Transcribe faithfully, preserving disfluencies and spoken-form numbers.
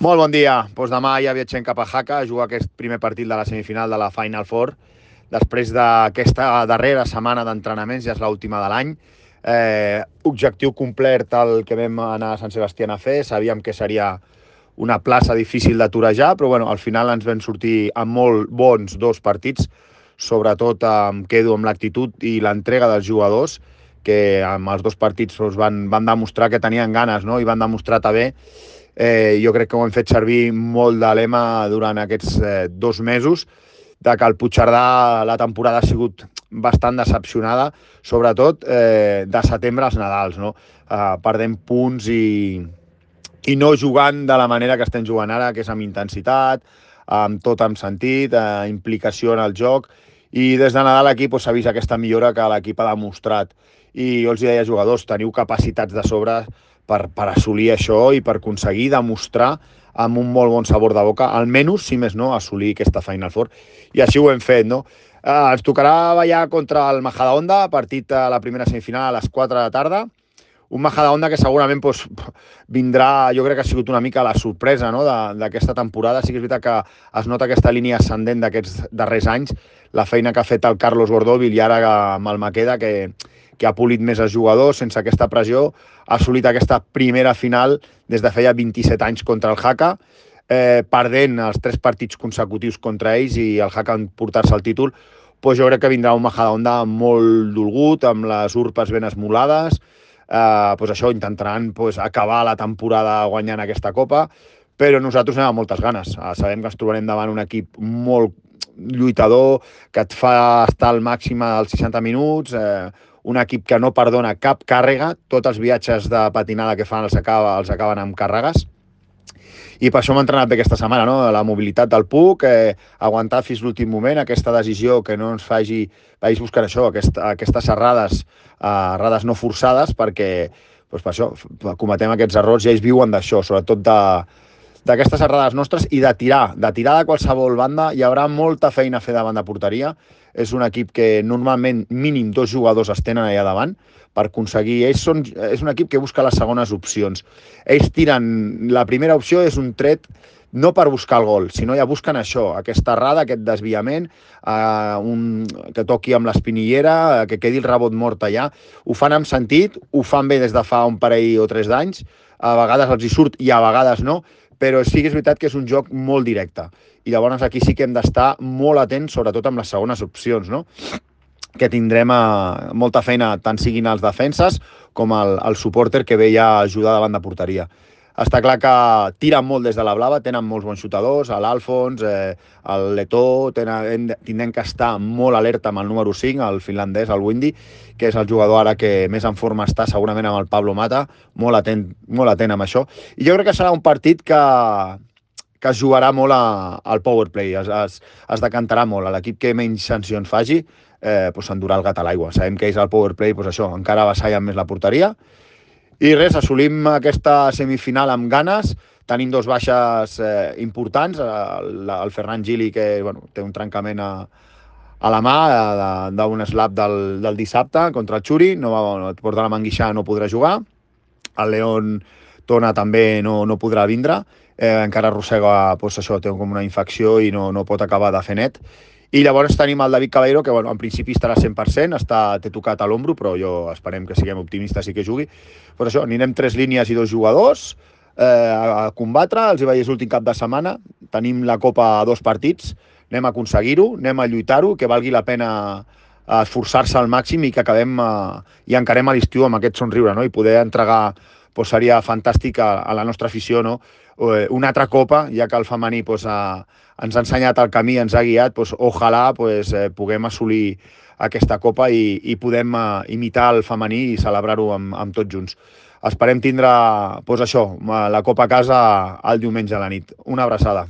Molt bon dia. Doncs demà ja viatgem cap a Jaca a jugar aquest primer partit de la semifinal de la Final Four. Després d'aquesta darrera setmana d'entrenaments, ja és l'última de l'any. Eh, objectiu complet el que vam anar a Sant Sebastián a fer. Sabíem que seria una plaça difícil de torejar, però bueno, al final ens vam sortir amb molt bons dos partits. Sobretot em quedo amb l'actitud i l'entrega dels jugadors, que amb els dos partits doncs, van, van demostrar que tenien ganes, no? I van demostrar també. Eh, jo crec que ho hem fet servir molt de lema durant aquests eh, dos mesos, de que el Puigcerdà la temporada ha sigut bastant decepcionada, sobretot eh, de setembre als Nadals, no? Eh, perdent punts i, i no jugant de la manera que estem jugant ara, que és amb intensitat, amb tot amb sentit, eh, implicació en el joc, i des de Nadal aquí s'ha vist aquesta millora que l'equip ha demostrat. I jo els deia, jugadors, teniu capacitats de sobre per, per assolir això i per aconseguir demostrar amb un molt bon sabor de boca, almenys, si més no, assolir aquesta Final Four. I així ho hem fet, no? Eh, ens tocarà ballar contra el Majadahonda, partit a la primera semifinal a les quatre de la tarda. Un Majadahonda que segurament doncs, vindrà, jo crec que ha sigut una mica la sorpresa, no?, d'aquesta temporada. Sí que és veritat que es nota aquesta línia ascendent d'aquests darrers anys, la feina que ha fet el Carlos Gordóvil i ara amb el Maqueda, que, que ha polit més els jugadors sense aquesta pressió, ha assolit aquesta primera final des de feia vint-i-set anys contra el Jaca, eh, perdent els tres partits consecutius contra ells i el Jaca en portar-se el títol. Pues jo crec que vindrà un Majadahonda molt dolgut, amb les urpes ben esmolades. Eh, pues això, intentaran pues, acabar la temporada guanyant aquesta Copa, però nosaltres anem amb moltes ganes. Eh, sabem que ens trobarem davant un equip molt lluitador, que et fa estar al màxim als seixanta minuts, eh, un equip que no perdona cap càrrega, tots els viatges de patinada que fan els, acaba, els acaben amb càrregues, i per això hem entrenat bé aquesta setmana, no? La mobilitat del puck, eh, aguantar fins l'últim moment, aquesta decisió que no ens faci, vagis buscant això, aquesta, aquestes errades, eh, errades no forçades, perquè doncs per això cometem aquests errors i ells viuen d'això, sobretot de d'aquestes errades nostres i de tirar, de tirar de qualsevol banda. Hi haurà molta feina a fer davant de porteria. És un equip que normalment mínim dos jugadors es tenen allà davant per aconseguir. Ells són, és un equip que busca les segones opcions. Ells tiren, la primera opció és un tret no per buscar el gol, sinó ja busquen això, aquesta errada, aquest desviament, eh, un, que toqui amb l'espinillera, eh, que quedi el rebot mort allà. Ho fan amb sentit, ho fan bé des de fa un parell o tres d'anys, a vegades els hi surt i a vegades no, però sí que és veritat que és un joc molt directe. I llavors aquí sí que hem d'estar molt atents, sobretot amb les segones opcions, no? Que tindrem eh, molta feina, tant siguin els defenses com el, el supporter que ve ja a ajudar davant de porteria. Està clar que tiren molt des de la blava, tenen molts bons xutadors, l'Alfons, eh, el Letó, tenen, tindrem que estar molt alerta amb el número cinc, el finlandès, el Windy, que és el jugador ara que més en forma està, segurament amb el Pablo Mata, molt atent, molt atent amb això. I jo crec que serà un partit que, que es jugarà molt a, al powerplay, es, es, es decantarà molt. L'equip que menys sancions faci eh, pues s'endurà el gat a l'aigua. Sabem que ells al powerplay, pues això, encara avassallen més la porteria. I res, assolim aquesta semifinal amb ganes, tenim dos baixes eh, importants, el, el Ferran Gili, que bueno, té un trencament a, a la mà d'un slap del, del dissabte contra el Xuri, no va, no, et porta la manguixà, no podrà jugar, el León Tona també no, no podrà vindre, eh, encara arrossega, pues, això, té com una infecció i no, no pot acabar de fer net. I llavors tenim el David Caballero, que bueno, en principi estarà cent per cent, està, té tocat a l'ombro, però jo esperem que siguem optimistes i que jugui. Per això, anirem tres línies i dos jugadors eh, a combatre, els hi vaig dir l'últim cap de setmana, tenim la Copa a dos partits, anem a aconseguir-ho, anem a lluitar-ho, que valgui la pena esforçar-se al màxim i que acabem eh, i encarem a l'estiu amb aquest somriure, no? I poder entregar, doncs, seria fantàstic a, a la nostra afició, no? Una altra Copa, ja que el femení doncs, a, ens ha ensenyat el camí, ens ha guiat, doncs, ojalà doncs, eh, puguem assolir aquesta Copa i, i podem eh, imitar el femení i celebrar-ho amb, amb tots junts. Esperem tindre doncs, això, la Copa a casa el diumenge a la nit. Una abraçada.